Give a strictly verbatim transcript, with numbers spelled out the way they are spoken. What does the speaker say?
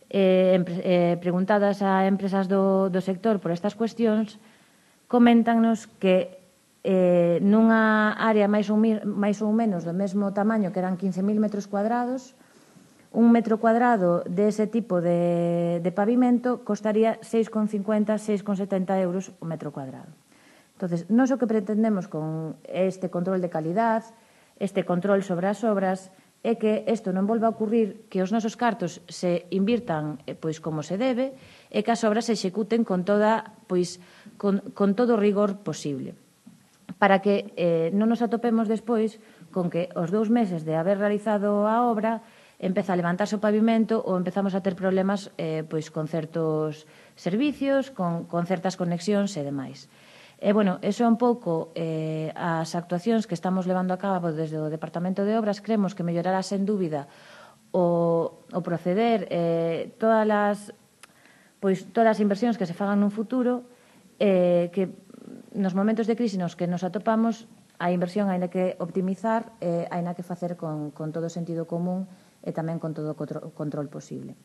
eh, eh, preguntadas a empresas do, do sector por estas cuestións, coméntanos que eh, nunha área máis ou, máis ou menos do mesmo tamaño, que eran quince mil metros cuadrados, un metro cuadrado dese tipo de, de pavimento costaría seis con cincuenta, seis con setenta euros o metro cuadrado. Entonces, nós o que pretendemos con este control de calidad, este control sobre as obras, é que isto non volva a ocurrir, que os nosos cartos se invirtan pois como se debe e que as obras se executen con toda pois con, con todo o rigor posible, para que eh, non nos atopemos despois con que os dous meses de haber realizado a obra empeza a levantarse o pavimento ou empezamos a ter problemas eh, pois con certos servicios, con, con certas conexións e demais. E, bueno, eso é un pouco eh, as actuacións que estamos levando a cabo desde o Departamento de Obras. Creemos que mellorará, sen dúbida, o, o proceder, eh, todas as, pois, todas as inversións que se fagan nun futuro, eh, que nos momentos de crise nos que nos atopamos, a inversión hai que optimizar, eh, hai que facer con, con todo o sentido común e tamén con todo o control posible.